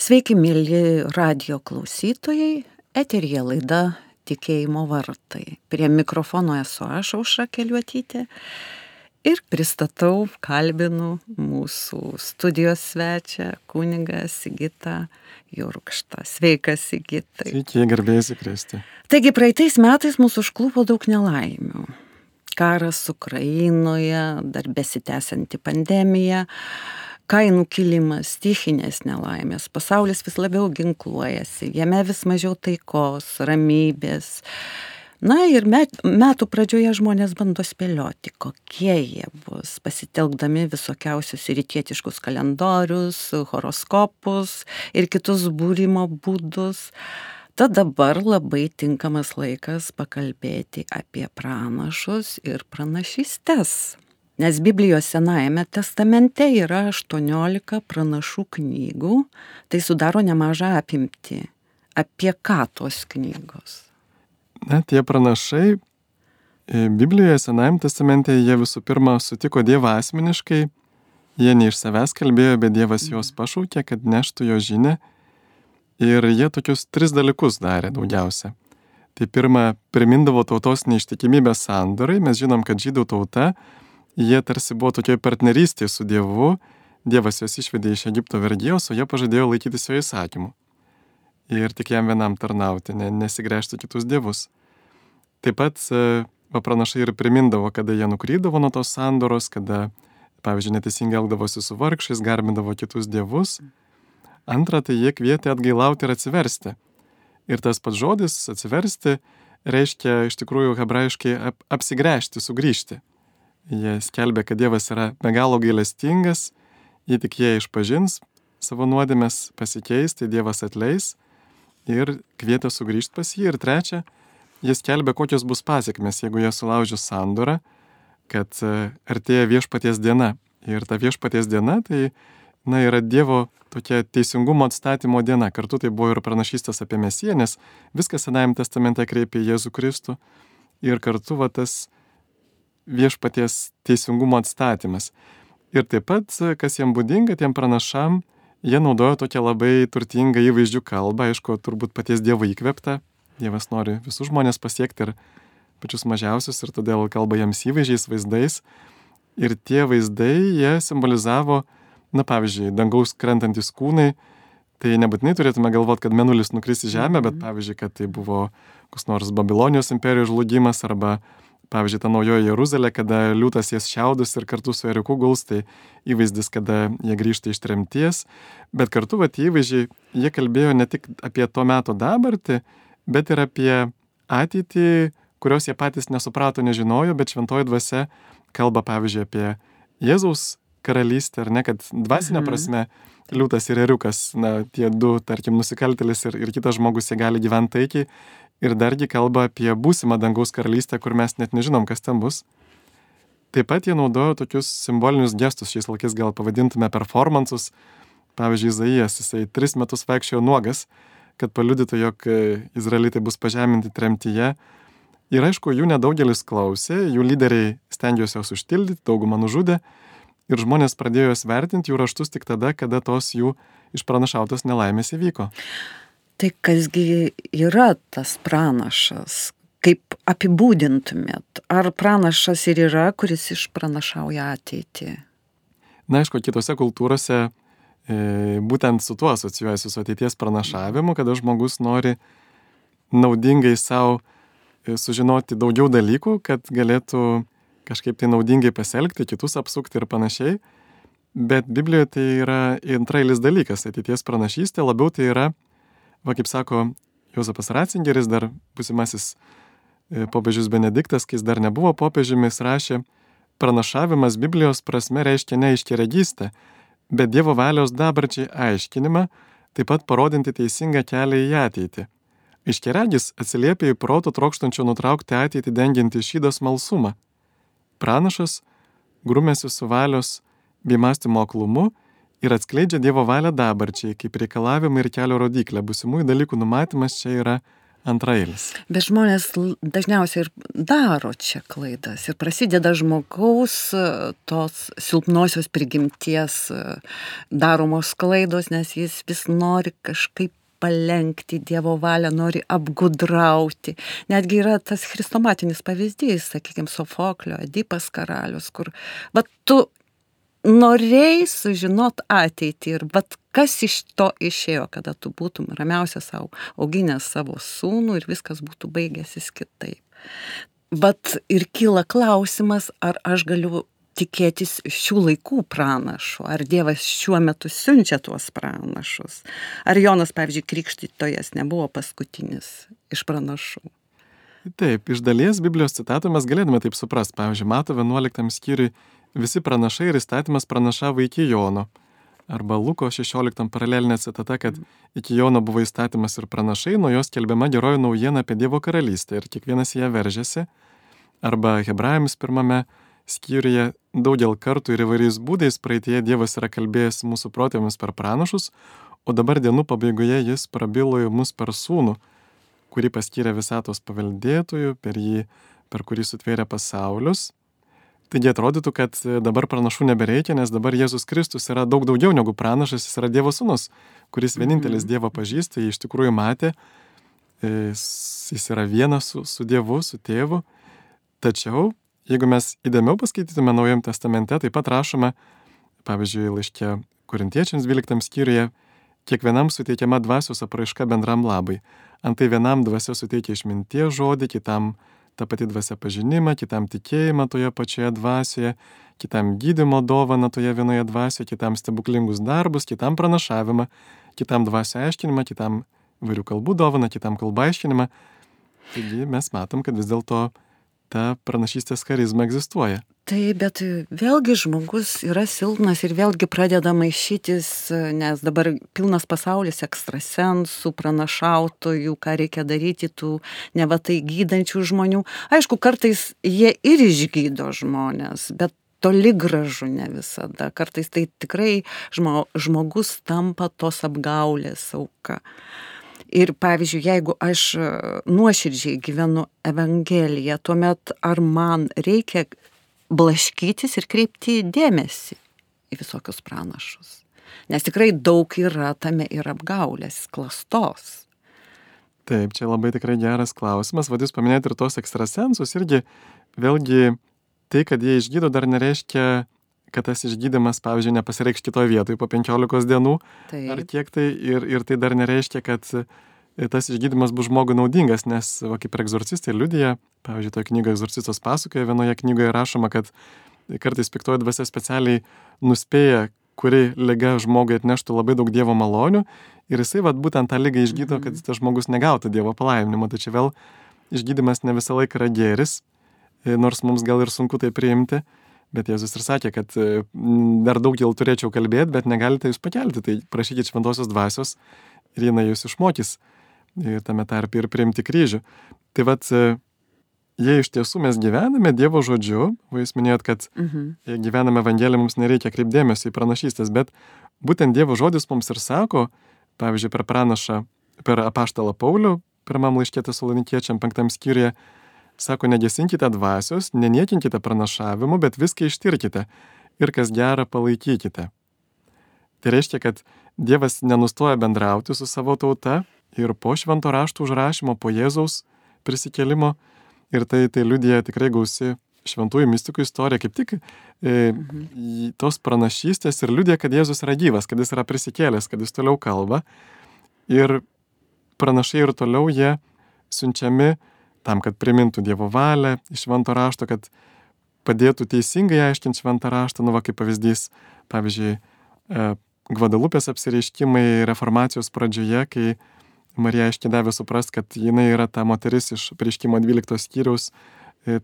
Sveiki, mėly radijo klausytojai, eteryje laida Tikėjimo vartai. Prie mikrofono esu aš, Aušra Keliuotytė, ir pristatau, kalbinu mūsų studijos svečią, kunigą Sigitą Jurkštą. Sveikas, Sigitai. Sveiki, garbėsi Kristui. Taigi, praeitais metais mūsų užklupo daug nelaimių. Karas Ukrainoje, dar besitęsianti pandemija, kainų kilimas, stichinės nelaimės, pasaulis vis labiau ginkluojasi, jame vis mažiau taikos, ramybės. Na ir metų pradžioje žmonės bando spėlioti, kokie jie bus, pasitelkdami visokiausius rytietiškus kalendorius, horoskopus ir kitus būrimo būdus. Tad dabar labai tinkamas laikas pakalbėti apie pranašus ir pranašystes. Nes Biblijos Senajame testamente yra 18 pranašų knygų, tai sudaro nemažą apimtį. Apie ką tos knygos? Na, tie pranašai Biblijoje Senajame testamente jie visų pirma sutiko Dievą asmeniškai, jie ne iš savęs kalbėjo, bet Dievas juos pašaukė, kad neštų jo žinią, ir jie tokius 3 dalykus darė daugiausia. Tai pirma, primindavo tautos neištikimybės sandorai, mes žinom, kad žydų tauta, jie tarsi buvo tokioj partnerystėje su Dievu, Dievas juos išvedė iš Egipto vergijos, o jie pažadėjo laikytis jo įsakymų. Ir tik jam vienam tarnauti, nesigręžti kitus dievus. Taip pat pranašai ir primindavo, kada jie nukrydavo nuo tos sandoros, kada, pavyzdžiui, neteisingai elgdavosi su vargšais, garbindavo kitus dievus. Antra, tai jie kvietė atgailauti ir atsiversti. Ir tas pats žodis atsiversti reiškia iš tikrųjų hebrajiškai apsigręžti, sugrįžti. Jie skelbė, kad Dievas yra be galo gailestingas, jei tik jie išpažins savo nuodėmes, pasikeis, tai Dievas atleis ir kvietė sugrįžti pas jį. Ir trečia, jie skelbė, kokios bus pasiekmes, jeigu jie sulaužys sandorą, kad artėja viešpaties diena. Ir ta viešpaties diena tai yra Dievo tokia teisingumo atstatymo diena. Kartu tai buvo ir pranašystės apie Mesiją, nes viskas Senajame testamente kreipia į Jėzų Kristų. Ir kartu tas viešpaties teisingumo atstatymas. Ir taip pat, kas jiem būdinga, tiem pranašam, jie naudojo tokią labai turtingą įvaizdžių kalbą, aišku, turbūt paties Dievo įkvėpta. Dievas nori visus žmonės pasiekti ir pačius mažiausius, ir todėl kalba jiems įvaizdžiais, vaizdais. Ir tie vaizdai, jie simbolizavo, pavyzdžiui, dangaus krentantis kūnai. Tai nebūtinai turėtume galvoti, kad mėnulis nukris į žemę, bet pavyzdžiui, kad tai buvo koks nors Babilonijos imperijos žlugimas, arba pavyzdžiui, ta naujoji Jeruzalė, kada liūtas jas šiaudus ir kartu su ėriuku guls, tai įvaizdis, kada jie grįžta iš tremties. Bet kartu įvaizdžiai, jie kalbėjo ne tik apie to meto dabartį, bet ir apie ateitį, kurios jie patys nesuprato, nežinojo, bet šventoji dvasia kalba, pavyzdžiui, apie Jėzaus karalystę, ar ne, kad dvasinė prasme liūtas ir ėriukas, tie du, tarkim, nusikaltėlis ir kitas žmogus, jie gali gyventi taikiai. Ir dargi kalba apie būsimą dangaus karalystę, kur mes net nežinom, kas ten bus. Taip pat jie naudojo tokius simbolinius gestus, šiais laikais gal pavadintume performansus. Pavyzdžiui, Izaijas, jisai 3 metus vaikščiojo nuogas, kad paliudytų, jog izraelitai bus pažeminti tremtyje. Ir aišku, jų nedaugelis klausė, jų lyderiai stengijosi juos užtildyti, daugumą nužudė. Ir žmonės pradėjo juos vertinti jų raštus tik tada, kada tos jų išpranašautos nelaimės įvyko. Tai kasgi yra tas pranašas? Kaip apibūdintumėt? Ar pranašas ir yra, kuris išpranašauja ateitį? Na, aišku, kitose kultūrose būtent su tuo asocijuojasi su ateities pranašavimu, kada žmogus nori naudingai savo sužinoti daugiau dalykų, kad galėtų kažkaip tai naudingai pasielgti, kitus apsukti ir panašiai. Bet Biblijoje tai yra antrailis dalykas, ateities pranašystė, labiau tai yra, kaip sako Jozapas Ratzingeris, dar būsimasis popiežius Benediktas, kai jis dar nebuvo popiežiumi, jis rašė, pranašavimas Biblijos prasme reiškia ne aiškiaregystę, bet Dievo valios dabarčiai aiškinimą, taip pat parodinti teisingą kelią į ateitį. Aiškiaregis atsiliepia į proto trokštančio nutraukti ateitį dengiantį šydą smalsumą. Pranašas grumėsi su valios bei mąstymo aklumu ir atskleidžia Dievo valią dabarčiai, kaip reikalavimai ir kelio rodiklė. Būsimųjų dalykų numatymas čia yra antraeilis. Bet žmonės dažniausiai ir daro čia klaidas ir prasideda žmogaus tos silpnosios prigimties daromos klaidos, nes jis vis nori kažkaip palenkti Dievo valią, nori apgudrauti. Netgi yra tas chrestomatinis pavyzdys, sakykime, Sofoklio, Edipas karalius, kur tu norėjai sužinot ateitį ir kas iš to išėjo, kada tu būtum ramiausia savo auginęs savo sūnų ir viskas būtų baigęsis kitaip. Ir kyla klausimas, ar aš galiu tikėtis šių laikų pranašų, ar Dievas šiuo metu siunčia tuos pranašus. Ar Jonas, pavyzdžiui, Krikštytojas nebuvo paskutinis iš pranašų. Taip, iš dalies Biblijos citatų mes galėtume taip suprasti. Pavyzdžiui, Mato 11 skyriui visi pranašai ir įstatymas pranašavo iki Jono. Arba Luko 16 paralelinė citata, kad iki Jono buvo įstatymas ir pranašai, nuo jos skelbiama geroji naujiena apie Dievo karalystę ir kiekvienas ją veržėsi. Arba Hebrajams 1 skyriuje daugel kartų ir įvairiais būdais praeityje Dievas yra kalbėjęs mūsų protėviams per pranašus, o dabar dienų pabaigoje jis prabilo į mus per sūnų, kurį paskyrė visatos paveldėtojų, per kurį sutvėrė pasaulius. Taigi atrodytų, kad dabar pranašų nebereikia, nes dabar Jėzus Kristus yra daug daugiau negu pranašas, jis yra Dievo sūnus, kuris vienintelis Dievą pažįsta, jį iš tikrųjų matė, jis yra vienas su Dievu, su tėvu. Tačiau, jeigu mes įdėmiau paskaitytume Naujajame testamente, taip pat rašome, pavyzdžiui, laiške Korintiečiams 12 skyriuje, kiekvienam suteikiama dvasios apraiška bendram labai. Antai vienam dvasia suteikia išminties žodį, kitam ta pati dvasia pažinimą, kitam tikėjimą toje pačioje dvasioje, kitam gydymo dovaną toje vienoje dvasioje, kitam stebuklingus darbus, kitam pranašavimą, kitam dvasio aiškinimą, kitam įvairių kalbų dovaną, kitam kalbą aiškinimą. Taigi mes matom, kad vis dėlto ta pranašystės charizma egzistuoja. Taip, bet vėlgi žmogus yra silpnas ir vėlgi pradeda maišytis, nes dabar pilnas pasaulis ekstrasensų, pranašautojų, ką reikia daryti tų nevatai gydančių žmonių. Aišku, kartais jie ir išgydo žmonės, bet toli gražu ne visada. Kartais tai tikrai žmogus tampa tos apgaulės auka. Ir pavyzdžiui, jeigu aš nuoširdžiai gyvenu Evangeliją, tuomet ar man reikia blaškytis ir kreipti dėmesį į visokius pranašus? Nes tikrai daug yra tame ir apgaulės, klastos. Taip, čia labai tikrai geras klausimas. Jūs paminėjote ir tos ekstrasensus, irgi vėlgi tai, kad jie išgydo, dar nereiškia, kad tas išgydymas, pavyzdžiui, nepasireikš kitoje vietoje po 15 dienų. Taip. Ar kiek tai, ir tai dar nereiškia, kad tas išgydymas bus žmogui naudingas, nes kaip ir egzorcistai liudija, pavyzdžiui, toje knygoje Egzorcistas pasakoja, vienoje knygoje rašoma, kad kartais piktoji dvasia specialiai nuspėja, kuri liga žmogui atneštų labai daug Dievo malonių ir jisai būtent tą ligą išgydo, kad tas žmogus negautų Dievo palaiminimo. Tai čia vėl išgydymas ne visą laiką yra gėris, nors mums gal ir sunku tai priimti. Bet Jėzus ir sakė, kad dar daug jau turėčiau kalbėti, bet negalite jūs pakelti, tai prašykit šventosios dvasios ir jinai jūs išmokys tame tarpe ir priimti kryžių. Tai jei iš tiesų mes gyvename Dievo žodžiu, jūs minėjot, kad jei gyvename Evangeliją, mums nereikia kreipdėmėsio į pranašystės, bet būtent Dievo žodis mums ir sako, pavyzdžiui, per apaštalą Paulių, pirmam laiške Tesalonikiečiam 5 skyriuje, sako, negesinkite dvasios, neniekinkite pranašavimu, bet viską ištirkite ir kas gera palaikykite. Tai reiškia, kad Dievas nenustoja bendrauti su savo tauta ir po švento rašto užrašymo, po Jėzaus prisikėlimo, ir tai liudija tikrai gausi šventųjų mistikų istorija, kaip tik tos pranašystės ir liudija, kad Jėzus yra gyvas, kad jis yra prisikėlęs, kad jis toliau kalba. Ir pranašai ir toliau jie siunčiami tam, kad primintų Dievo valią iš švento rašto, kad padėtų teisingai aiškinti šventą raštą, kaip pavyzdys, pavyzdžiui, Gvadalupės apsireiškimai reformacijos pradžioje, kai Marija aiškiai davė suprast, kad jinai yra ta moteris iš Apreiškimo 12 skyriaus,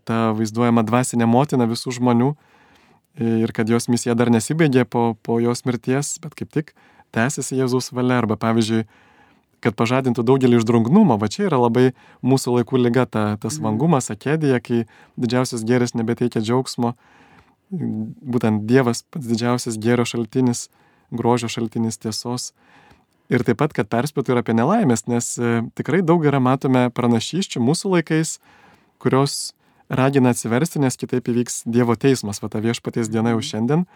ta vaizduojama dvasinė motina visų žmonių ir kad jos misija dar nesibaigė po jos mirties, bet kaip tik tęsiasi Jėzaus valia. Arba pavyzdžiui, kad pažadintų daugelį iš drungnumo, čia yra labai mūsų laikų liga, tas vangumas, akedija, kai didžiausias gėris nebeteikia džiaugsmo, būtent Dievas pats didžiausias gėrio šaltinis, grožio šaltinis, tiesos. Ir taip pat, kad perspėtų ir apie nelaimės, nes tikrai daug yra matome pranašysčių mūsų laikais, kurios ragina atsiversti, nes kitaip įvyks Dievo teismas, va ta viešpaties diena jau šiandien.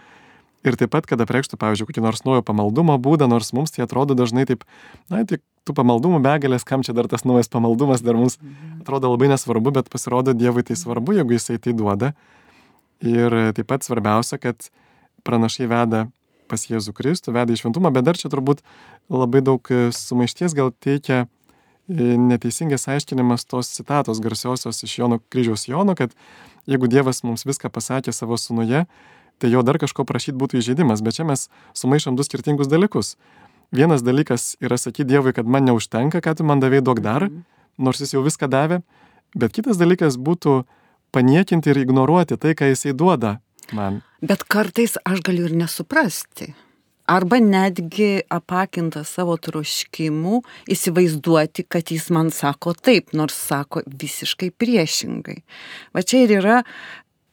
Ir taip pat, kad apreikštų, pavyzdžiui, kokį nors naujo pamaldumo būdą, nors mums tai atrodo dažnai taip, tik tų pamaldumų begalės, kam čia dar tas naujas pamaldumas, dar mums atrodo labai nesvarbu, bet pasirodo Dievui tai svarbu, jeigu jisai tai duoda. Ir taip pat svarbiausia, kad pranašai veda pas Jėzų Kristų, veda į šventumą, bet dar čia turbūt labai daug sumaišties gal teikia neteisingas aiškinimas tos citatos garsiosios iš kryžiaus Jono, kad jeigu Dievas mums viską pasakė savo sūnuje, tai jo dar kažko prašyti būtų įžeidimas, bet čia mes sumaišom du skirtingus dalykus. Vienas dalykas yra sakyti Dievui, kad man neužtenka, ką tu man davei, duok dar, nors jis jau viską davė, bet kitas dalykas būtų paniekinti ir ignoruoti tai, ką jisai duoda man. Bet kartais aš galiu ir nesuprasti. Arba netgi apakinta savo troškimų įsivaizduoti, kad jis man sako taip, nors sako visiškai priešingai. Va čia ir yra,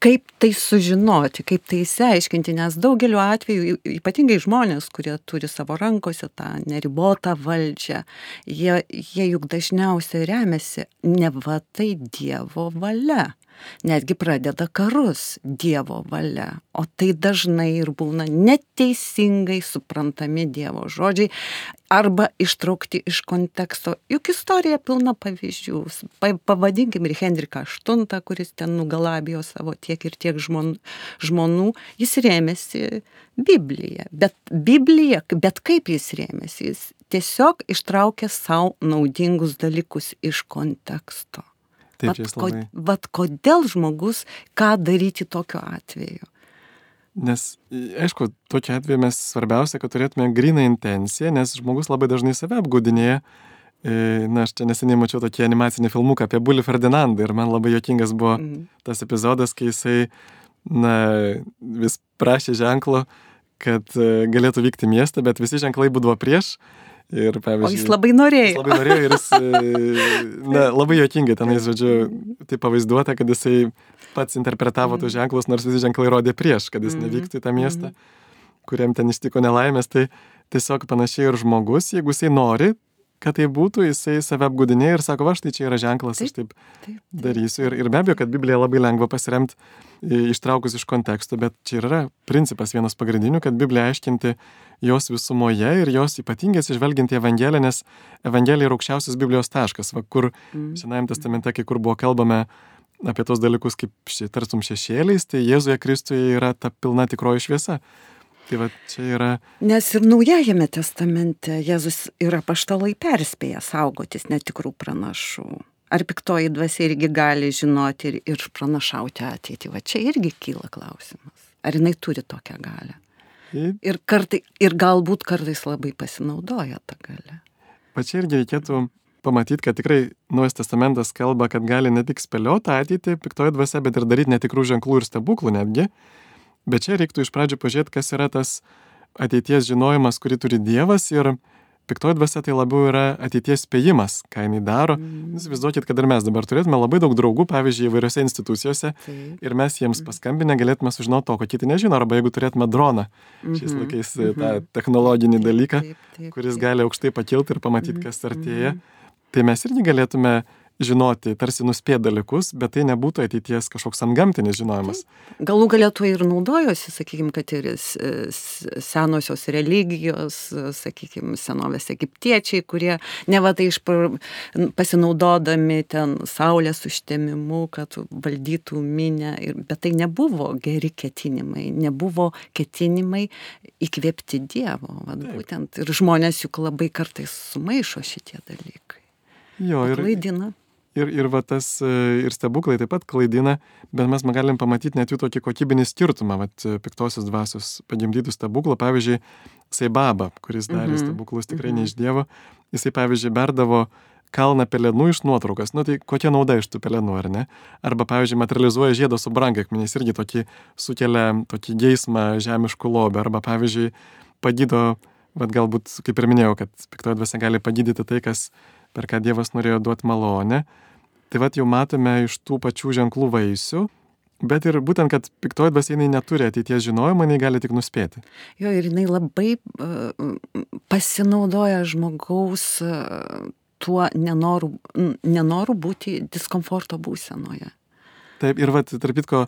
kaip tai sužinoti, kaip tai išsiaiškinti, nes daugeliu atveju, ypatingai žmonės, kurie turi savo rankose tą neribotą valdžią, jie juk dažniausiai remiasi ne va tai Dievo valia. Netgi pradeda karus Dievo valia, o tai dažnai ir būna neteisingai suprantami Dievo žodžiai arba ištraukti iš konteksto. Juk istorija pilna pavyzdžių. Pavadinkim ir Henriką VIII, kuris ten nugalabijo savo tiek ir tiek žmonų, jis rėmėsi Bibliją. Bet kaip jis rėmėsi? Jis tiesiog ištraukė savo naudingus dalykus iš konteksto. Vat kodėl žmogus, ką daryti tokiu atveju? Nes, aišku, tokiu atveju mes svarbiausia, kad turėtume gryną intenciją, nes žmogus labai dažnai save apgaudinėja. Aš čia neseniai mačiau tokį animacinį filmuką apie Bulį Ferdinandą ir man labai juokingas buvo tas epizodas, kai jisai vis prašė ženklo, kad galėtų vykti į miestą, bet visi ženklai būdavo prieš. Ir, o jis labai norėjo. Jis labai norėjo ir jis labai juokingai tenais, žodžiu, tai pavaizduota, kad jisai pats interpretavo tus ženklus, nors visi ženklai rodė prieš, kad jis nevyktų į tą miestą, kuriam ten ištiko nelaimės. Tai tiesiog panašiai ir žmogus, jeigu jisai nori, kad tai būtų, jisai save apgaudinėja ir sako, va štai čia yra ženklas, aš taip darysiu. Ir be abejo, kad Bibliją labai lengva pasiremti ištraukus iš konteksto, bet čia yra principas vienas pagrindinių, kad Bibliją aiškinti jos visumoje ir jos ypatingai atsižvelgiant į Evangeliją, nes Evangelija yra aukščiausias Biblijos taškas, kur Senajame testamente, kai kur buvo kalbame apie tos dalykus kaip tartum šešėliais, tai Jėzuje Kristuje yra ta pilna tikroji šviesa. Tai va, čia yra... Nes ir Naujajame testamente Jėzus ir apaštalai perspėja saugotis netikrų pranašų. Ar piktoji dvasia irgi gali žinoti ir pranašauti ateitį? Va čia irgi kyla klausimas. Ar jinai turi tokią galią? Ir galbūt kartais labai pasinaudoja tą galią. Va čia irgi reikėtų pamatyti, kad tikrai Naujas testamentas kalba, kad gali ne tik spėlioti ateitį piktoji dvasia, bet ir daryti netikrų ženklų ir stebuklų netgi. Bet čia reiktų iš pradžių pažiūrėti, kas yra tas ateities žinojimas, kurį turi Dievas, ir piktoji dvasia tai labiau yra ateities spėjimas, ką jinai daro. Įsivaizduokit, kad ir mes dabar turėtume labai daug draugų, pavyzdžiui, įvairiose institucijose, ir mes jiems paskambinę galėtume sužinoti to, ko kiti nežino, arba jeigu turėtume droną, šiais laikais tą technologinį dalyką, kuris gali aukštai pakilti ir pamatyti, kas artėja, tai mes irgi galėtume žinoti, tarsi nuspėti dalykus, bet tai nebūtų ateities kažkoks antgamtinis žinojimas. Galų galėtų ir naudojosi, sakykime, kad ir senosios religijos, sakykime, senovės egiptiečiai, kurie nevatai pasinaudodami ten saulės užtemimu, kad valdytų minę, bet tai nebuvo geri ketinimai, nebuvo ketinimai įkvėpti Dievo. Būtent ir žmonės juk labai kartais sumaišo šitie dalykai. Klaidina. Ir va tas, ir stebuklai taip pat klaidina, bet mes galim pamatyti net jų tokį kokybinį skirtumą, piktosios dvasios pagimdytų stebuklų, pavyzdžiui, Saibaba, kuris darė stebuklus tikrai ne iš Dievo, jisai, pavyzdžiui, berdavo kalną pelenų iš nuotraukas, tai kokia nauda iš tų pelenų, ar ne? Arba, pavyzdžiui, materializuoja žiedą su brangakmeniais, irgi sukelia tokį geismą žemiškų lobių, arba, pavyzdžiui, pagydo, galbūt, kaip ir minėjau, kad piktoji dvasia gali pagydyti tai, kas per ką Dievas norėjo duoti malonę. Tai jau matome iš tų pačių ženklų vaisių, Bet ir būtent, kad piktoji dvasia jinai neturi ateities žinojimo, jinai gali tik nuspėti. Jo, ir jinai labai pasinaudoja žmogaus tuo nenoru būti diskomforto būsenoje. Taip, ir tarp kitko,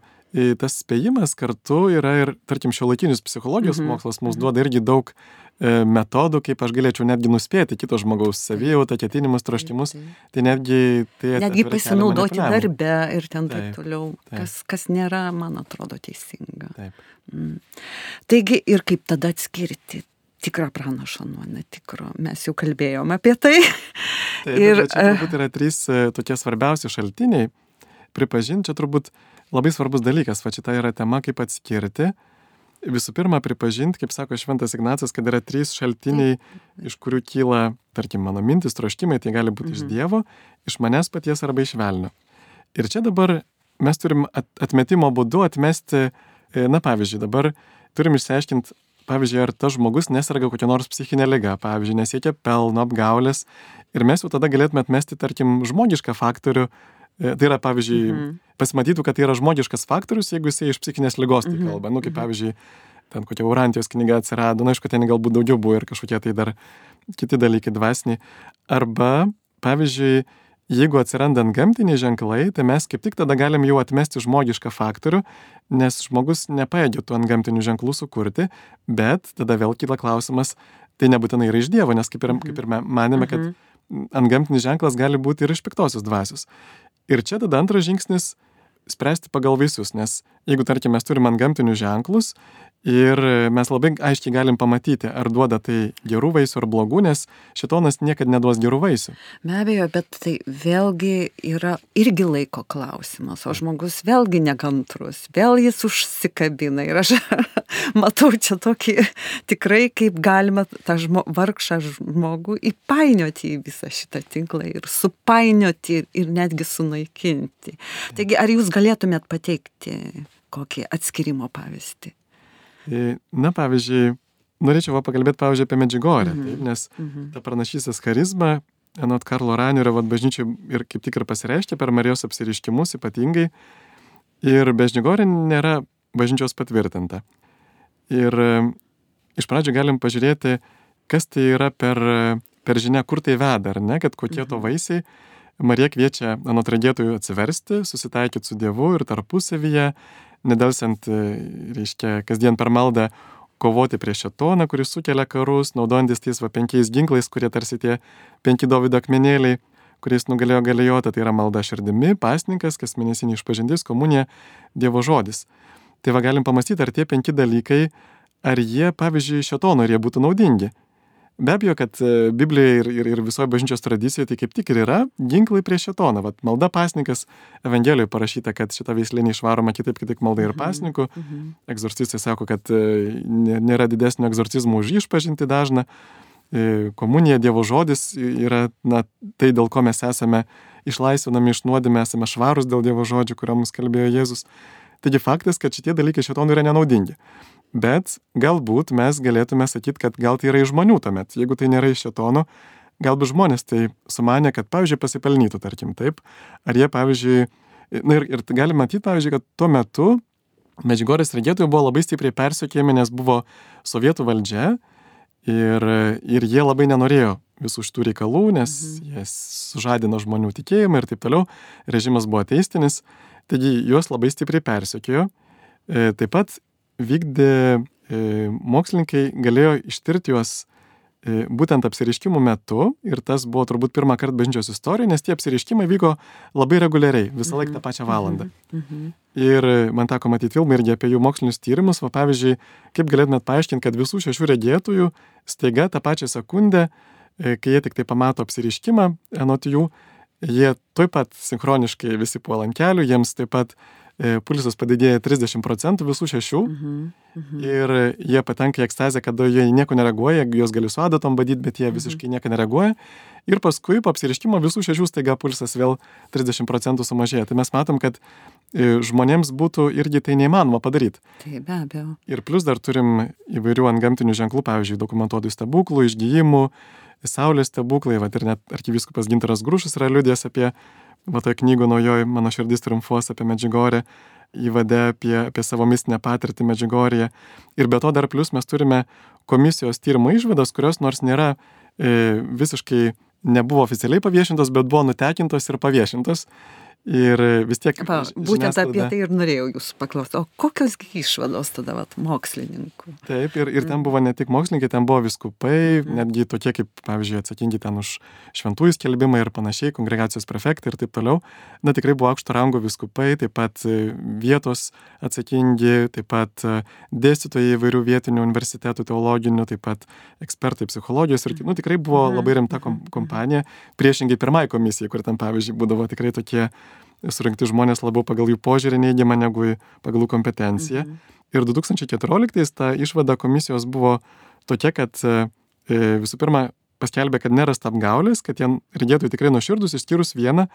tas spėjimas kartu yra ir, tarkim, šiuolaikinis psichologijos mokslas mums duoda irgi daug metodų, kaip aš galėčiau netgi nuspėti kito žmogaus savijautą, ketinimus, troškimus. Tai netgi pasinaudoti darbe ir ten taip toliau, kas nėra, man atrodo, teisinga. Taip. Taigi, ir kaip tada atskirti tikrą pranašą nuo netikro? Mes jau kalbėjome apie tai. Taip, ir čia turbūt yra 3 tokie svarbiausi šaltiniai. Pripažinti, čia turbūt labai svarbus dalykas, va šita yra tema, kaip atskirti. Visų pirma, pripažinti, kaip sako Šventas Ignacas, kad yra 3 šaltiniai, iš kurių kyla, tarkim, mano mintis, troškimai, tai gali būti iš Dievo, iš manęs paties arba iš velnio. Ir čia dabar mes turim atmetimo būdu atmesti, pavyzdžiui, dabar turim išsiaiškinti, pavyzdžiui, ar tas žmogus neserga kokią nors psichinę ligą, pavyzdžiui, nesiekia pelno, apgaulės, ir mes jau tada galėtume atmesti, tarkim, žmogišką faktorių. Tai yra, pavyzdžiui, pasimatytų, kad tai yra žmogiškas faktorius, jeigu jisai iš psichinės ligos tai kalba. Kaip pavyzdžiui, ten kokia Urantijos knyga atsirado, aišku, ten galbūt daugiau buvo ir kažkokie tai dar kiti dalykai dvasiniai. Arba, pavyzdžiui, jeigu atsiranda antgamtiniai ženklai, tai mes kaip tik tada galim jau atmesti žmogišką faktorių, nes žmogus nepajėgia tų antgamtinių ženklų sukurti, bet tada vėl kyla klausimas, tai nebūtinai yra iš Dievo, nes kaip ir manėme, kad antgamtinis ženklas gali būti ir iš piktosios dvasios. Ir čia tada antras žingsnis spręsti pagal vaisius, nes jeigu, tarkim, mes turim antgamtinius ženklus ir mes labai aiškiai galim pamatyti, ar duoda tai gerų vaisių ar blogų, nes šėtonas niekad neduos gerų vaisių. Be abejo, bet tai vėlgi yra irgi laiko klausimas, o žmogus vėlgi nekantrus, vėl jis užsikabina ir aš matau čia tokį tikrai, kaip galima tą vargšą žmogų įpainioti į visą šitą tinklą ir supainioti ir netgi sunaikinti. Taigi, ar jūs galėtumėt pateikti kokį atskirimo pavyzdį? Pavyzdžiui, norėčiau pakalbėti, pavyzdžiui, apie Medžiugorję, nes ta pranašystės charizma, anot Karlo Ranerio, bažnyčiai ir kaip tik ir pasireiškia per Marijos apsireiškimus ypatingai, ir Medžiugorė nėra bažnyčios patvirtinta. Ir iš pradžių galim pažiūrėti, kas tai yra per žinia, kur tai veda, ar ne, kad kokie to vaisiai. Marija kviečia anot regėtojų atsiversti, susitaikyti su Dievu ir tarpusavyje, nedelsiant, reiškia, kasdien per maldą kovoti prieš šėtoną, kuris sukelia karus, naudojantis tais 5 ginklais, kurie tarsi tie 5 Dovydo akmenėliai, kuriais nugalėjo Galijotą, tai yra malda širdimi, pasninkas, kasmėnesinė išpažintis, komunija, Dievo žodis. Tai galim pamastyti, ar tie 5 dalykai, ar jie, pavyzdžiui, šėtono, ar jie būtų naudingi. Be abejo, kad Biblijoje ir visoje bažnyčios tradicijoje tai kaip tik ir yra ginklai prieš šėtoną. Malda pasninkas, Evangelijoje parašyta, kad šita veislė neišvaroma kitaip tik malda ir pasninkų. Egzorcistai sako, kad nėra didesnio egzorcizmo už išpažinti dažną. Komunija, Dievo žodis yra tai, dėl ko mes esame išlaisvinami iš nuodėmės, esame švarūs dėl Dievo žodžių, kuriuo mums kalbėjo Jėzus. Taigi faktas, kad šitie dalykai šėtonui yra nenaudingi. Bet galbūt mes galėtume sakyti, kad gal tai yra iš žmonių tuomet. Jeigu tai nėra iš šėtono, galbūt žmonės tai sumanė, kad, pavyzdžiui, pasipelnytų, tarkim, taip. Ar jie, pavyzdžiui, ir galim matyti, pavyzdžiui, kad tuo metu Medžiugorės regėtojai buvo labai stipriai persekiojami, nes buvo sovietų valdžia ir jie labai nenorėjo visų šitų reikalų, nes jie sužadino žmonių tikėjimą ir taip toliau. Režimas buvo ateistinis, taigi juos labai stipriai persekiojo. Taip pat vykdė, mokslininkai galėjo ištirti juos būtent apsireiškimų metu ir tas buvo turbūt pirmą kartą bažnyčios istorijoje, nes tie apsireiškimai vyko labai reguliariai, visą laiką tą pačią valandą. Ir man teko matyti filmą irgi apie jų mokslinius tyrimus, pavyzdžiui, kaip galėtumėt paaiškinti, kad visų 6 regėtojų staiga tą pačią sekundę, kai jie tik tai pamato apsireiškimą, anot jų, jie taip pat sinchroniškai visi puola ant kelių, jiems taip pat pulsas padidėja 30% visų 6 ir jie patenka į ekstazę, kada jie nieko nereaguoja, juos gali su adatom badyti, bet jie visiškai nieko nereaguoja ir paskui po apsireiškimo visų 6 staiga pulsas vėl 30% sumažėja. Tai mes matom, kad žmonėms būtų irgi tai neįmanoma padaryti. Taip, be abejo. Ir plus dar turim įvairių antgamtinių ženklų, pavyzdžiui, dokumentuotų stebuklų, išgijimų, saulės stebuklai, ir net arkivyskupas Gintaras Grušas yra liudijęs apie va toje knygoje naujoji Mano širdis triumfuos apie Medžiugorję, įvade apie savo mistinę patirtį Medžiugorėje. Ir be to dar plus mes turime komisijos tyrimo išvadas, kurios nors nėra visiškai nebuvo oficialiai paviešintos, bet buvo nutekintos ir paviešintos. Ir vis tiek... Būtent apie tai ir norėjau jūsų paklausti. O kokios išvados tada mokslininkų? Taip, ir ten buvo ne tik mokslininkai, ten buvo vyskupai, netgi tokie kaip, pavyzdžiui, atsakingi ten už šventųjų skelbimą ir panašiai, kongregacijos prefektai ir taip toliau. Na, tikrai buvo aukšto rango vyskupai, taip pat vietos atsakingi, taip pat dėstytojai įvairių vietinių universitetų teologinių, taip pat ekspertai psichologijos ir tikrai buvo labai rimta kompanija, priešingai pirmai komisijai, kur ten, pavyzdžiui, būdavo tikrai tokie surinkti žmonės labiau pagal jų požiūrį neigiamą negu pagal jų kompetenciją. Ir 2014 ta išvada komisijos buvo tokia, kad visų pirma paskelbė, kad nerasta apgaulės, kad jie regėtojai tikrai nuoširdus, išskyrus vieną,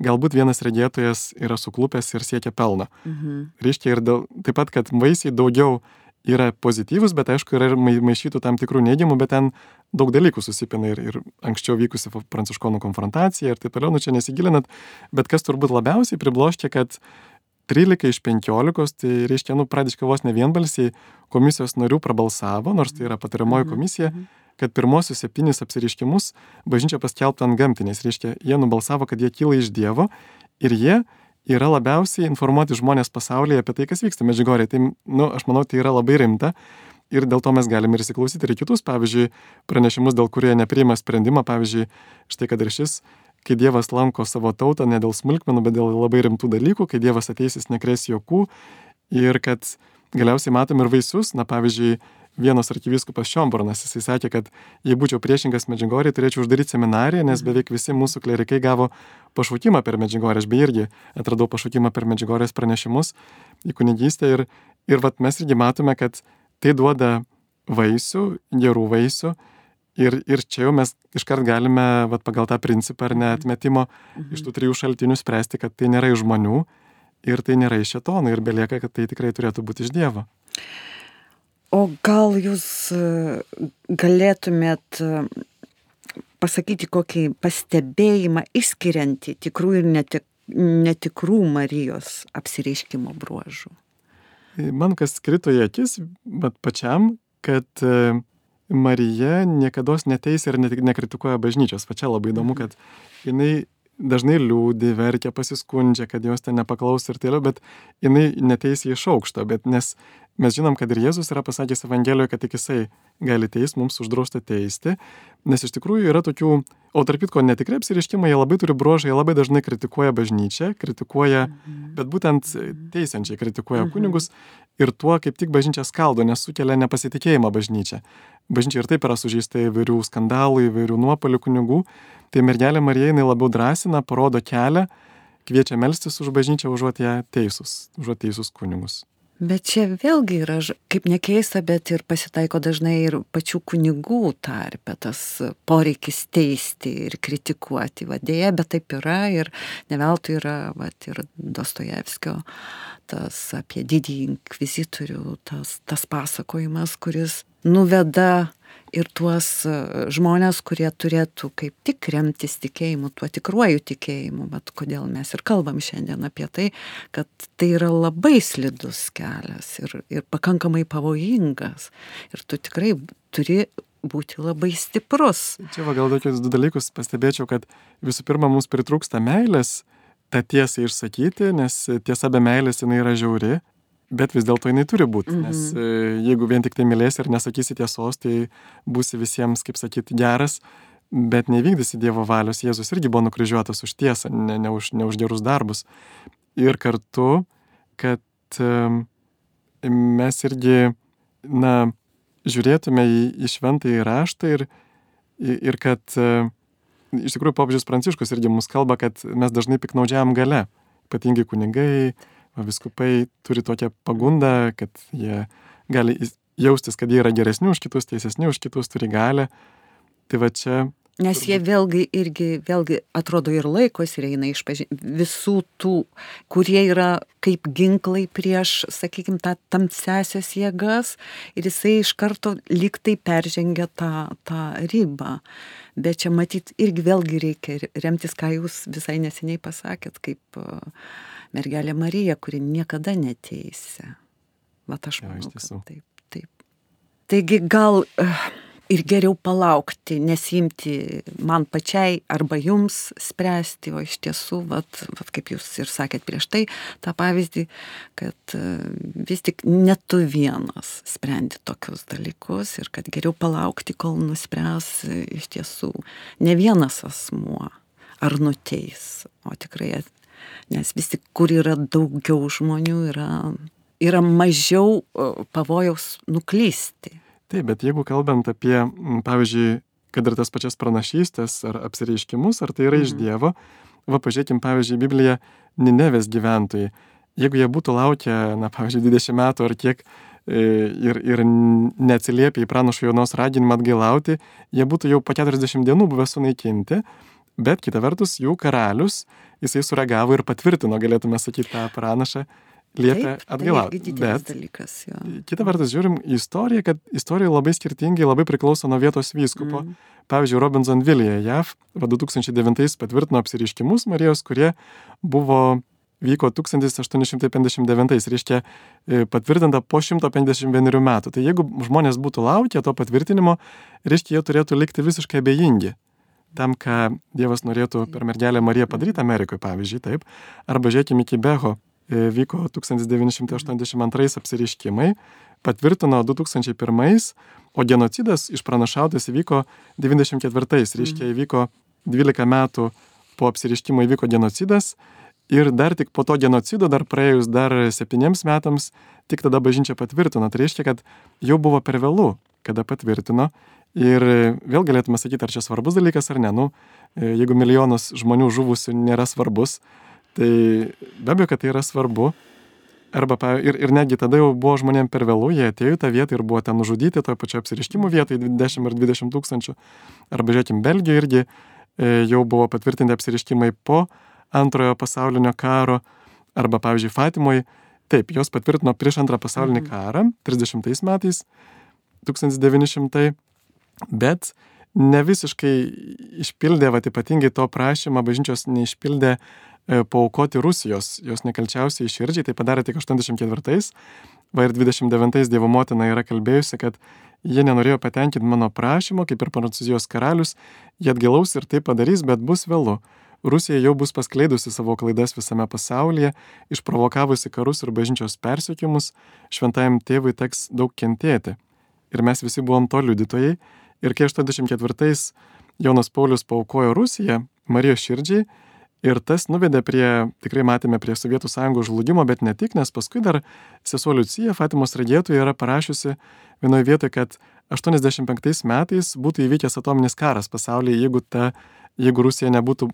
galbūt vienas regėtojas yra suklupęs ir siekia pelną. Reiškia ir taip pat, kad vaisiai daugiau yra pozityvus, bet aišku yra ir maišytų tam tikrų neigiamų, bet ten daug dalykų susipina ir anksčiau vykusi pranciškonų konfrontacija ir taip toliau, čia nesigilinat, bet kas turbūt labiausiai pribloškė, kad 13 iš 15, tai reiškia, praktiškai vos ne vienbalsiai komisijos narių prabalsavo, nors tai yra patariamoji komisija, kad pirmosius 7 apsireiškimus bažnyčia paskelbtų antgamtiniais, reiškia, jie nubalsavo, kad jie kyla iš Dievo ir jie yra labiausiai informuoti žmonės pasaulyje apie tai, kas vyksta Medžiugorėje. Tai, aš manau, tai yra labai rimta ir dėl to mes galime ir įsiklausyti ir kitus, pavyzdžiui, pranešimus, dėl kurie nepriima sprendimą, pavyzdžiui, štai kad ir šis, kai Dievas lanko savo tautą ne dėl smulkmenų, bet dėl labai rimtų dalykų, kai Dievas ateis, jis nekres juokų ir kad galiausiai matom ir vaisius, pavyzdžiui, vienos arkivyskupas Šiombornas, jisai sakė, kad jei būčiau priešingas Medžiugorjei, turėčiau uždaryti seminariją, nes beveik visi mūsų klerikai gavo pašaukimą per Medžiugorję. Aš beje irgi atradau pašaukimą per Medžiugorės pranešimus į kunigystę ir vat mes irgi matome, kad tai duoda vaisių, gerų vaisių ir čia jau mes iškart galime vat pagal tą principą ar neatmetimo iš tų 3 šaltinių spręsti, kad tai nėra iš žmonių ir tai nėra iš šėtono ir belieka, kad tai tikrai turėtų būti iš Dievo. O gal jūs galėtumėt pasakyti kokį pastebėjimą išskiriantį tikrų ir netikrų Marijos apsireiškimo bruožų? Man kas krito į akis, bet pačiam, kad Marija niekados neteisia ir nekritikuoja bažnyčios. Pačia labai įdomu, kad jinai dažnai liūdi, verkia, pasiskundžia, kad jos ten nepaklaus ir tėliau, bet jinai neteisia iš aukšto, bet nes mes žinom, kad ir Jėzus yra pasakęs Evangelijoje, kad tik jisai gali teist, mums uždrausta teisti, nes iš tikrųjų yra tokių, o tarp kitko netikri apsireiškimai, jie labai turi bruožą, jie labai dažnai kritikuoja bažnyčią, bet būtent teisiančiai kritikuoja kunigus ir tuo kaip tik bažnyčia skaldo, nes sukelia nepasitikėjimą bažnyčia. Bažnyčia ir taip yra sužeista įvairių skandalų, įvairių nuopuolių kunigų, tai mergelė Marija jinai labiau drąsina, parodo kelią, kviečia melstis už bažnyčią, užuot teisus kunigus. Bet čia vėlgi yra, kaip nekeista, bet ir pasitaiko dažnai ir pačių kunigų tarpe tas poreikis teisti ir kritikuoti. Dėja, bet taip yra ir ne veltui yra ir Dostojevskio tas apie didįjį inkvizitorių, tas pasakojimas, kuris nuveda ir tuos žmonės, kurie turėtų kaip tik remtis tikėjimu, tuo tikruoju tikėjimu, bet kodėl mes ir kalbam šiandien apie tai, kad tai yra labai slidus kelias ir pakankamai pavojingas. Ir tu tikrai turi būti labai stiprus. Čia gal tokius 2 dalykus pastebėčiau, kad visų pirma, mums pritrūksta meilės tą tiesą išsakyti, nes tiesa be meilės jinai yra žiauri. Bet vis dėlto jinai turi būti, nes jeigu vien tik tai mylėsi ir nesakysi tiesos, tai būsi visiems, kaip sakyti, geras, bet nevykdysi Dievo valios. Jėzus irgi buvo nukryžiuotas už tiesą, ne už gerus darbus. Ir kartu, kad mes irgi, žiūrėtume į šventąjį raštą ir kad iš tikrųjų popiežius Pranciškus irgi mums kalba, kad mes dažnai piknaudžiam gale, ypatingai kunigai, viskupai turi tokią pagundą, kad jie gali jaustis, kad jie yra geresni už kitus, teisesni už kitus, turi galią. Tai čia Nes jie vėlgi atrodo ir laikosi ir eina visų tų, kurie yra kaip ginklai prieš, sakykime, tą tamsiasias jėgas ir jisai iš karto lyg tai peržengia tą ribą. Bet čia matyt irgi vėlgi reikia remtis, ką jūs visai neseniai pasakėt, kaip mergelė Marija, kuri niekada neteisia. Vat aš manau, kad taip. Taigi gal ir geriau palaukti, nesimti man pačiai arba jums spręsti, o iš tiesų, vat kaip jūs ir sakėt prieš tai, tą pavyzdį, kad vis tik ne tu vienas sprendi tokius dalykus ir kad geriau palaukti, kol nuspręs iš tiesų ne vienas asmuo ar nuteis, o tikrai, nes vis tik, kur yra daugiau žmonių, yra mažiau pavojaus nuklysti. Taip, bet jeigu kalbant apie, pavyzdžiui, kad ir tas pačias pranašystės ar apsireiškimus, ar tai yra iš Dievo, pažiūrėkim, pavyzdžiui, Bibliją Ninevės gyventojai. Jeigu jie būtų laukę, pavyzdžiui, 20 metų ar kiek ir neatsiliepę į pranašo Jonos raginimą atgailauti, jie būtų jau po 40 dienų buvę sunaikinti, bet kita vertus jų karalius, jisai sureagavo ir patvirtino, galėtume sakyti, tą pranašą, liepia atgailauti. Bet kita vertus žiūrim į istoriją, kad istorija labai skirtingai labai priklauso nuo vietos vyskupo. Pavyzdžiui, Robinsonvilėje JAV 2009 patvirtino apsireiškimus Marijos, kurie vyko 1859, reiškia patvirtinta po 151 metų. Tai jeigu žmonės būtų laukę to patvirtinimo, reiškia, jie turėtų likti visiškai abejingi tam, ką Dievas norėtų per mergelę Mariją padaryti Amerikoje, pavyzdžiui, taip. Arba žiūrėkime iki Beho. Vyko 1982 apsireiškimai, patvirtino 2001, o genocidas išpranašautas įvyko 94, reiškia įvyko 12 metų po apsireiškimo įvyko genocidas ir dar tik po to genocido, dar praėjus dar 7 metams, tik tada bažnyčia patvirtino. Tai reiškia, kad jau buvo per vėlu, kada patvirtino ir vėl galėtume sakyti, ar čia svarbus dalykas ar ne. Jeigu milijonas žmonių žuvusių nėra svarbus, tai be abejo, kad tai yra svarbu. Ir netgi tada jau buvo žmonėm per vėlų, jie atėjo į tą vietą ir buvo ten nužudyti, toje pačioje apsireiškimų vietoje 10 ar 20 tūkstančių. Arba žiūrėkim, Belgijoje irgi jau buvo patvirtinti apsireiškimai po Antrojo pasaulinio karo. Arba, pavyzdžiui, Fatimoje, taip, jos patvirtino prieš Antrą pasaulinį karą, 30 metais, 1900, bet ne visiškai išpildė, ypatingai to prašymą bažnyčios neišpildė paaukoti Rusijos, jos nekalčiausiai širdžiai, tai padarė tik 84, ir 29 Dievo motina yra kalbėjusi, kad jie nenorėjo patenkinti mano prašymo, kaip ir Prancūzijos karalius, jie atgailaus ir tai padarys, bet bus vėlu. Rusija jau bus paskleidusi savo klaidas visame pasaulyje, išprovokavusi karus ir bažnyčios persekiojimus, šventajam tėvui teks daug kentėti. Ir mes visi buvom to liudytojai, ir kai 84 Jonas Paulius paaukojo Rusiją, Marijos širdžiai, ir tas nuvedė tikrai matėme prie Sovietų sąjungos žlugimo, bet ne tik, nes paskui dar sesuo Liucija, Fatimos regėtoja, yra parašiusi vienoje vietoje, kad 85 metais būtų įvykęs atominis karas pasaulyje, jeigu Rusija nebūtų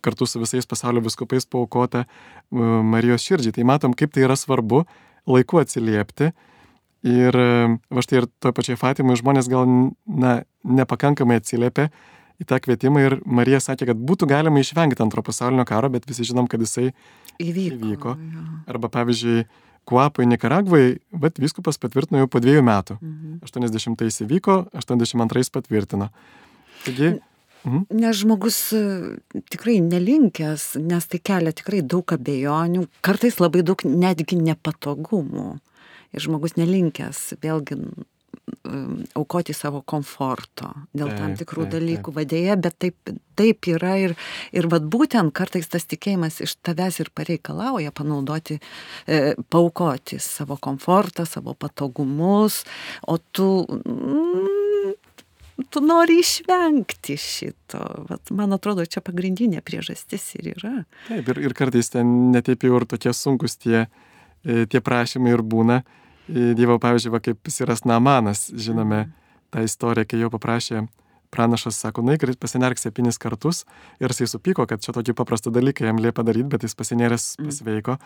kartu su visais pasaulio vyskupais paaukota Marijos širdžiai. Tai matom, kaip tai yra svarbu laiku atsiliepti. Ir štai ir toje pačioje Fatimoje žmonės gal nepakankamai atsiliepė į tą kvietimą ir Marija sakė, kad būtų galima išvengti Antro pasaulinio karo, bet visi žinom, kad jisai įvyko. Arba pavyzdžiui, Kuapoje, Nikaragvoje, vyskupas patvirtino jau po 2 metų. 80-ais įvyko, 82-ais patvirtino. Taigi, nes žmogus tikrai nelinkęs, nes tai kelia tikrai daug abejonių, kartais labai daug netgi nepatogumų. Ir žmogus nelinkęs vėlgi aukoti savo komforto dėl tam tikrų dalykų vadėje, bet taip yra ir vat būtent kartais tas tikėjimas iš tavęs ir pareikalauja paaukoti savo komfortą, savo patogumus, o tu nori išvengti šito. Vat, man atrodo, čia pagrindinė priežastis ir yra. Taip, ir kartais ten netaip jau ir tokie sunkus tie prašymai ir būna. Dievo, pavyzdžiui, kaip Siras Naamanas, žinome tą istoriją, kai jo paprašė pranašas, sako, nueik ir pasinerk 7 kartus, ir jisai supyko, kad čia tokį paprastą dalyką jam liepia daryti, bet jis pasineręs pasveiko.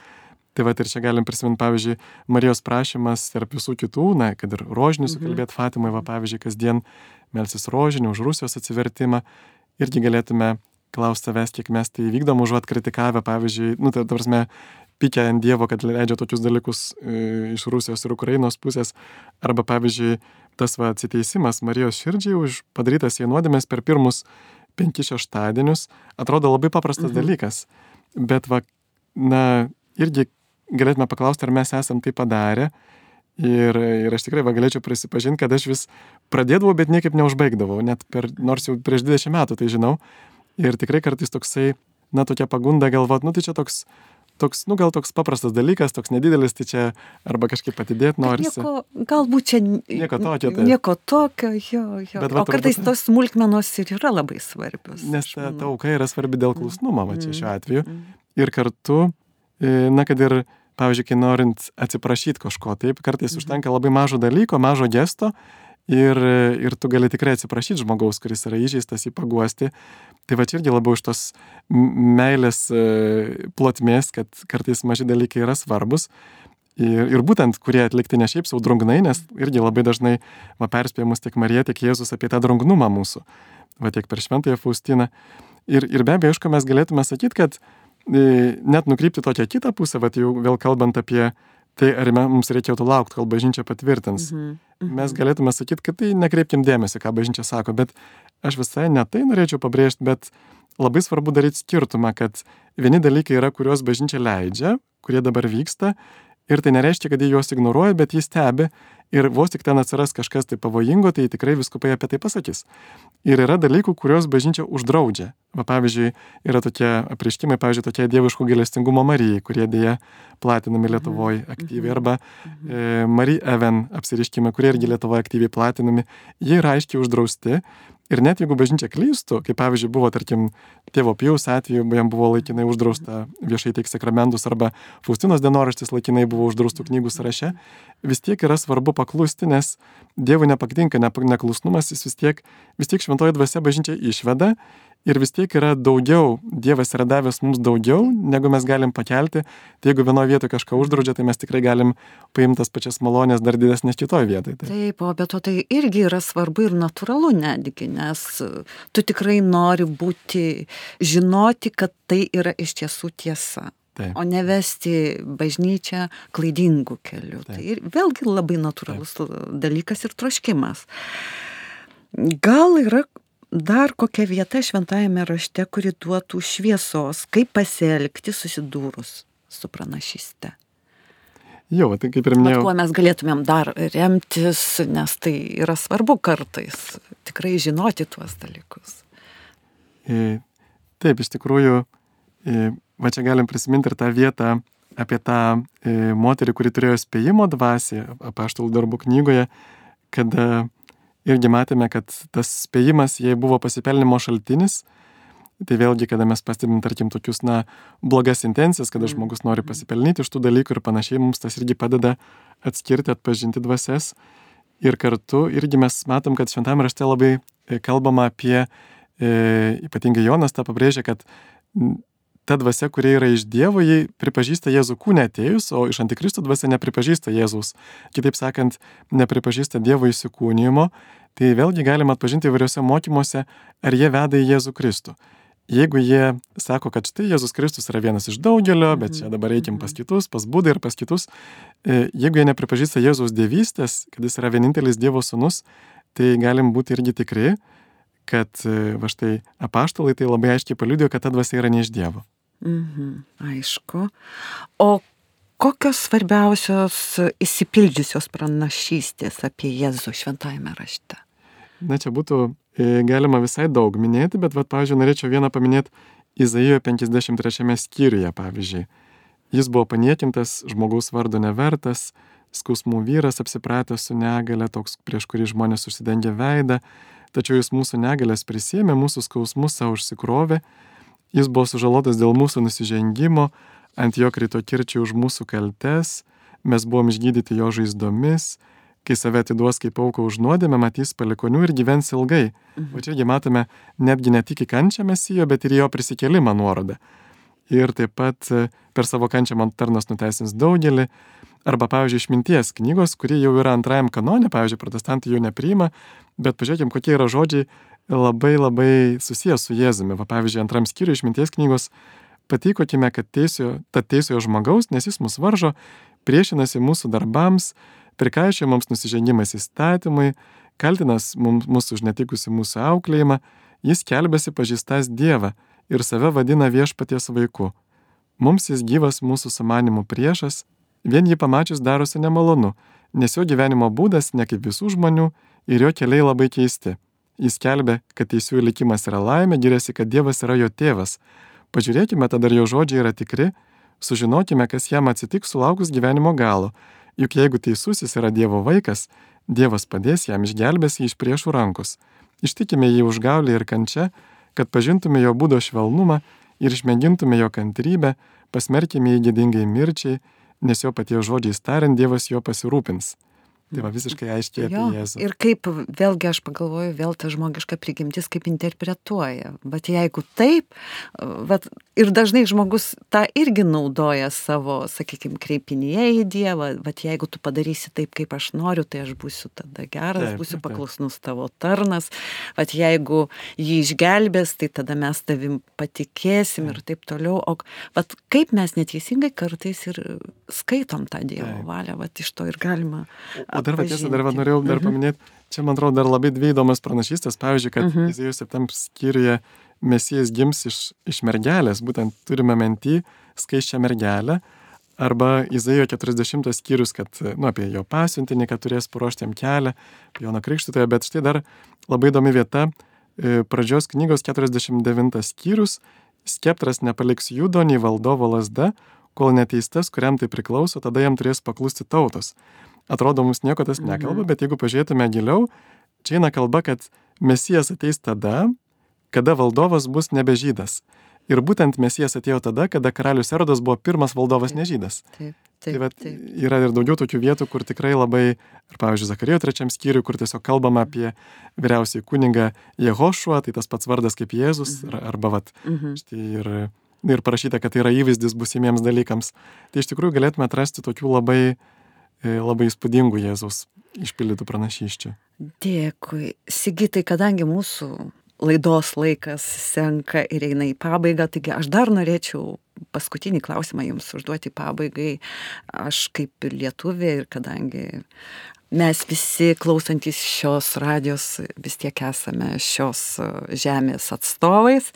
Tai va, ir čia galim prisiminti, pavyzdžiui, Marijos prašymas tarp visų kitų, kad ir rožinį sukalbėti Fatimoje, pavyzdžiui, kasdien melsis rožinį už Rusijos atsivertimą. irgi galėtume klausti savęs, kiek mes tai vykdom, užuot kritikavę, pavyzdžiui, ta prasme, pykę ant Dievo, kad leidžia tokius dalykus iš Rusijos ir Ukrainos pusės, arba, pavyzdžiui, tas atsiteisimas Marijos širdžiai už padarytas jai nuodėmės per pirmus 5 šeštadienius, atrodo labai paprastas dalykas, bet irgi galėtume paklausti, ar mes esam tai padarę. Ir aš tikrai galėčiau prisipažinti, kad aš vis pradėdavau, bet niekaip neužbaigdavau, nors jau prieš 20 metų tai žinau. Ir tikrai kartais toksai, tokia pagunda galvot, tai čia toks, gal toks paprastas dalykas, toks nedidelis, tai čia arba kažkaip atidėti norisi. Galbūt čia nieko tokio, jo. O kartais tos smulkmenos ir yra labai svarbios. Nes ta auka yra svarbi dėl klusnumo, čia šiuo atveju. Ir kartu, kad ir, pavyzdžiui, kai norint atsiprašyti kažko, taip, kartais užtenka labai mažo dalyko, mažo gesto ir tu gali tikrai atsiprašyti žmogaus, kuris yra įžeistas, jį paguosti. Tai čia irgi labiau iš tos meilės plotmės, kad kartais maži dalykai yra svarbus. Ir būtent, kurie atlikti ne šiaip sau drungnai, nes irgi labai dažnai perspėja mus tiek Marija, tiek Jėzus apie tą drungnumą mūsų. Tiek per Šventąją Faustiną. Ir be abejo, aišku, mes galėtume sakyti, kad net nukrypti tokią kitą pusę, jau vėl kalbant apie tai, ar mums reikėtų laukti, kol bažnyčia patvirtins. Mes galėtume sakyti, kad tai nekreipkim dėmesį, ką bažnyčia sako, bet aš visai ne tai norėčiau pabrėžti, bet labai svarbu daryti skirtumą, kad vieni dalykai yra, kuriuos bažnyčia leidžia, kurie dabar vyksta, ir tai nereiškia, kad jie juos ignoruoja, bet jį stebi, ir vos tik ten atsiras kažkas tai pavojingo, tai tikrai vyskupai apie tai pasakys. Ir yra dalykų, kuriuos bažnyčia uždraudžia. Pavyzdžiui, yra tokie apreiškimai, tokie dieviško gailestingumo Marijai, kurie dėja platinami Lietuvoje aktyviai, arba Marie Even apsireiškimai, kurie irgi Lietuvoje aktyviai platinami, jie yra aiškiai uždrausti. Ir net jeigu bažnyčia klystų, kaip pavyzdžiui buvo, tarkim, tėvo Pijaus atveju, jam buvo laikinai uždrausta viešai teikti sakramentus, arba Faustinos dienoraštis laikinai buvo uždraustų knygų sąraše, vis tiek yra svarbu paklusti, nes Dievui nepatinka neklusnumas, jis vis tiek šventoji dvasia bažnyčia išveda, ir vis tiek yra daugiau, Dievas yra davęs mums daugiau, negu mes galim pakelti. Tai jeigu vienoje vietoje kažką uždraudžia, tai mes tikrai galim paimti tas pačias malonės dar didesnės kitoje vietoje. Taip, o be to tai irgi yra svarbu ir natūralu netgi, nes tu tikrai nori žinoti, kad tai yra iš tiesų tiesa. Taip. O nevesti bažnyčią klaidingų kelių. Taip. Tai ir vėlgi labai natūralus dalykas ir troškimas. Gal yra dar kokia vieta šventajame rašte, kuri duotų šviesos, kaip pasielgti susidūrus su pranašyste? Jo, tai kaip ir minėjau. Bet kuo mes galėtumėm dar remtis, nes tai yra svarbu kartais tikrai žinoti tuos dalykus. Taip, iš tikrųjų, čia galim prisiminti ir tą vietą apie tą moterį, kuri turėjo spėjimo dvasią Apaštalų darbų knygoje, kada irgi matėme, kad tas spėjimas jai buvo pasipelnimo šaltinis. Tai vėlgi, kada mes pastebim, tarkim, tokius, blogas intencijas, kada žmogus nori pasipelnyti iš tų dalykų ir panašiai, mums tas irgi padeda atskirti, atpažinti dvasias. Ir kartu irgi mes matom, kad šventame rašte labai kalbama apie, ypatingai Jonas tą pabrėžia, kad ta dvasia, kurie yra iš Dievo, jį pripažįsta Jėzų kūne atėjus, o iš Antikristo dvasia nepripažįsta Jėzaus. Kitaip sakant, nepripažįsta Dievo įsikūnijimo. Tai vėlgi galima atpažinti įvairiuose mokymuose, ar jie veda į Jėzų Kristų. Jeigu jie sako, kad štai Jėzus Kristus yra vienas iš daugelio, bet čia dabar eikim pas kitus, pas Budą ir pas kitus, jeigu jie nepripažįsta Jėzaus dievystės, kad jis yra vienintelis Dievo sūnus, tai galim būti irgi tikri, kad štai apaštalai tai labai aiškiai paliudijo, kad ta dvasia yra ne iš Dievo. Aišku. O kokios svarbiausios įsipildžiusios pranašystės apie Jėzų šventajame rašte? Čia būtų galima visai daug minėti, bet, pavyzdžiui, norėčiau vieną paminėti Izaijo 53 skyriuje, pavyzdžiui. Jis buvo paniekintas, žmogaus vardo nevertas, skausmų vyras apsipratęs su negale, toks, prieš kurį žmonės užsidengia veidą, tačiau jis mūsų negalės prisėmė, mūsų skausmus savo užsikrovė, jis buvo sužalotas dėl mūsų nusižengimo, ant jo krito kirčiai už mūsų kaltes, mes buvom išgydyti jo žaizdomis, kai save atiduos kaip auką už nuodėmę, matys palikonių ir gyvens ilgai. O čiagi matome netgi ne tik į kančią Mesijo, bet ir jo prisikėlimą nuorodą. Ir taip pat per savo kančią man tarnas nuteisins daugelį. Arba, pavyzdžiui, Išminties knygos, kuri jau yra antrajam kanone, pavyzdžiui, protestantai jau nepriima, bet pažiūrėkim, kokie yra žodžiai labai labai susijęs su Jėzumi. Va, pavyzdžiui, 2 skyriui išminties knygos patikokime, kad teisiojo žmogaus, nes jis mus varžo, priešinasi mūsų darbams, prikaišia mums nusižengimas įstatymui, kaltinas mus už netikusi mūsų auklėjimą, jis kelbėsi pažįstas Dievą ir save vadina viešpaties vaiku. Mums jis gyvas mūsų sumanimų priešas, vien jį pamačius darosi nemalonu, nes jo gyvenimo būdas ne kaip visų žmonių ir jo keliai labai keisti. Jis kelbė, kad teisiųjų likimas yra laimė, giriasi, kad Dievas yra jo tėvas. Pažiūrėkime, tada ar jo žodžiai yra tikri, sužinokime, kas jam atsitiks sulaukus gyvenimo galo. Juk jeigu teisusis yra Dievo vaikas, Dievas padės jam, išgelbės jį iš priešų rankos. Ištikime jį užgaulį ir kančią, kad pažintume jo būdo švelnumą ir išmėgintume jo kantrybę, pasmerkime jį gėdingai mirčiai, nes jo paties žodžiais tariant Dievas jo pasirūpins. Tai va visiškai aiškiai apie Jėzų. Ir kaip, vėlgi aš pagalvoju, vėl ta žmogiška prigimtis kaip interpretuoja. Bet jeigu taip, ir dažnai žmogus tą irgi naudoja savo, sakykime, kreipinyje į Dievą, bet jeigu tu padarysi taip, kaip aš noriu, tai aš būsiu tada geras, būsiu paklusnus tavo tarnas, bet jeigu jį išgelbės, tai tada mes tavim patikėsim ir taip toliau. O kaip mes neteisingai kartais ir skaitom tą Dievo valią, iš to ir galima. O dar norėjau paminėti, čia man atrodo dar labai dvi įdomas pranašystės, pavyzdžiui, kad Izaijo 7 skyriuje Mesijas gims iš mergelės, būtent turime minty skaisčią mergelę, arba Izaijo 40 skyrius, kad, apie jo pasiuntinį, kad turės paruošti jam kelią, Joną Krikštytoją, bet štai dar labai įdomi vieta, pradžios knygos 49 skyrius, skeptras nepaliks judo nei valdovo lazda, kol neteistas, kuriam tai priklauso, tada jam turės paklusti tautos. Atrodo, mums nieko tas nekalba, bet jeigu pažiūrėtume giliau, čia eina kalba, kad Mesijas ateis tada, kada valdovas bus nebe žydas. Ir būtent Mesijas atėjo tada, kada karalius Erodas buvo pirmas valdovas nežydas. Tai yra ir daugiau tokių vietų, kur tikrai labai, ir pavyzdžiui, Zakarijo 3 skyriui, kur tiesiog kalbama apie vyriausiai kunigą Jehošuą, tai tas pats vardas kaip Jėzus, arba štai ir parašyta, kad tai yra įvaizdis būsimiems dalykams. Tai iš tikrųjų galėtume atrasti tokių labai įspūdingų Jėzaus išpildytų pranašysčių. Dėkui. Sigitai, kadangi mūsų laidos laikas senka ir eina į pabaigą, taigi aš dar norėčiau paskutinį klausimą jums užduoti pabaigai. Aš kaip lietuvė ir kadangi mes visi klausantis šios radijos vis tiek esame šios žemės atstovais.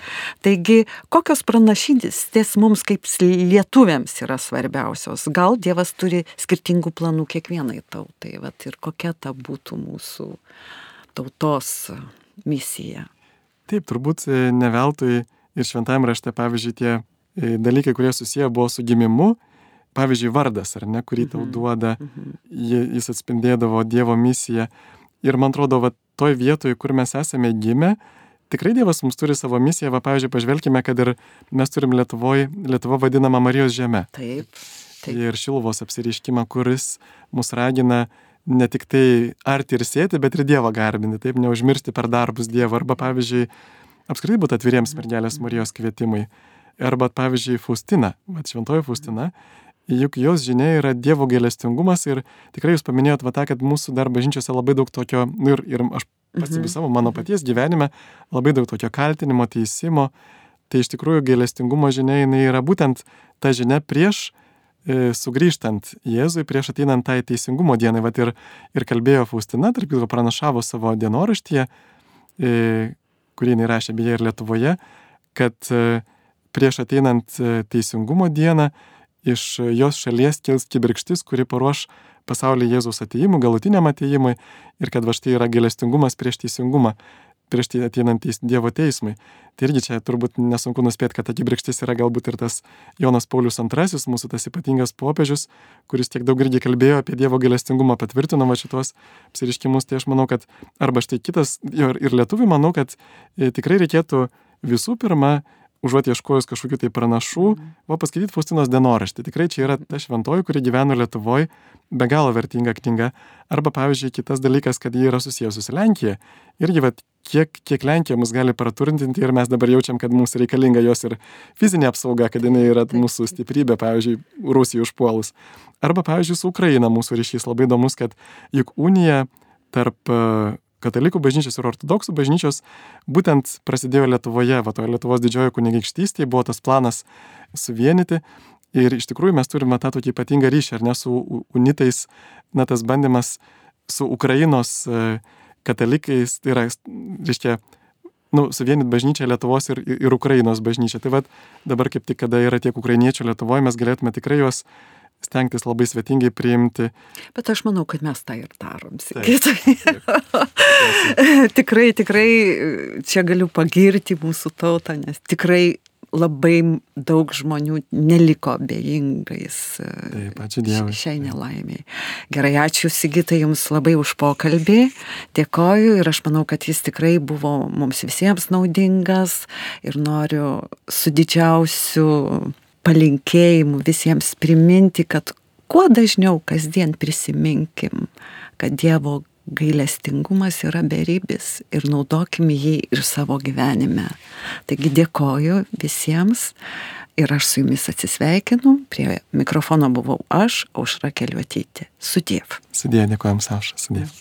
Taigi, kokios pranašystės mums kaip lietuviams yra svarbiausios? Gal Dievas turi skirtingų planų kiekvienai tautai, ir kokia ta būtų mūsų tautos misija? Taip, turbūt ne veltui ir šventajame rašte, pavyzdžiui, tie dalykai, kurie susiję buvo su gimimu, pavyzdžiui, vardas, ar ne, kurį tau duoda, jis atspindėdavo Dievo misiją. Ir man atrodo, toj vietoje, kur mes esame gimę, tikrai Dievas mums turi savo misiją. Pavyzdžiui, pažvelkime, kad ir mes turim Lietuva vadinama Marijos žeme. Taip. Ir Šiluvos apsireiškimą, kuris mus ragina ne tik tai arti ir sėti, bet ir Dievą garbinti, taip, neužmiršti per darbus Dievą. Arba, pavyzdžiui, apskritai būti atviriems mergelės Marijos kvietimui. Arba, pavyzdžiui, Faustina, šventoji Faustina, juk jos žinia yra Dievo gailestingumas ir tikrai jūs paminėjot tą, kad mūsų dar bažnyčiose labai daug tokio, ir aš pastebiu savo mano paties gyvenime, labai daug tokio kaltinimo, teisimo. Tai iš tikrųjų gailestingumo žinia, jinai yra būtent ta žinia prieš sugrįžtant Jėzui, prieš ateinant tai teisingumo dienai. Ir kalbėjo Faustina, tarp kitko pranašavo savo dienoraštyje, kurį jinai rašė beje ir Lietuvoje, kad prieš ateinant teisingumo dieną iš jos šalies kils kibirkštis, kuri paruoš pasaulį Jėzaus atėjimui, galutiniam atėjimui, ir kad štai yra gailestingumas prieš teisingumą, prieš ateinant Dievo teismui. Tai irgi čia turbūt nesunku nuspėti, kad ta kibirkštis yra galbūt ir tas Jonas Paulius II, mūsų tas ypatingas popiežius, kuris tiek daug irgi kalbėjo apie Dievo gailestingumą, patvirtino šitos apsireiškimus. Tai aš manau, kad arba štai kitas, ir lietuvių manau, kad tikrai reikėtų visų pirma, užuot ieškojus kažkokių tai pranašų, paskaityti Faustinos dienoraštį. Tikrai čia yra ta šventoji, kuri gyveno Lietuvoje, be galo vertinga knyga. Arba, pavyzdžiui, kitas dalykas, kad ji yra susijusi su Lenkija. Irgi, kiek Lenkija mus gali praturtinti ir mes dabar jaučiam, kad mums reikalinga jos ir fizinė apsauga, kad jinai yra mūsų stiprybė, pavyzdžiui, Rusijai užpuolus. Arba, pavyzdžiui, su Ukraina mūsų ryšys labai įdomus, kad juk unija tarp katalikų bažnyčios ir ortodoksų bažnyčios būtent prasidėjo Lietuvoje, va to Lietuvos didžiojo kunigaikštystėje buvo tas planas suvienyti ir iš tikrųjų mes turime tą tokį ypatingą ryšį, ar ne, su unitais, na tas bandymas su Ukrainos katalikais, tai yra, reiškia, suvienyti bažnyčią Lietuvos ir Ukrainos bažnyčią. Tai vat dabar kaip tik, kada yra tiek ukrainiečių Lietuvoje, mes galėtume tikrai juos stengtis labai svetingai priimti. Bet aš manau, kad mes tą ir darom. Tikrai čia galiu pagirti mūsų tautą, nes tikrai labai daug žmonių neliko abejingais šiai nelaimiai. Gerai, ačiū Sigitai Jums labai už pokalbį. Dėkoju ir aš manau, kad jis tikrai buvo mums visiems naudingas ir noriu su didžiausiu palinkėjimu visiems priminti, kad kuo dažniau kasdien prisiminkim, kad Dievo gailestingumas yra beribis ir naudokim jį ir savo gyvenime. Taigi dėkoju visiems ir aš su jumis atsisveikinu. Prie mikrofono buvau aš, Aušra Keliuotytė. Sudiev. Sudie, dėkojam, Aušra. Sudiev.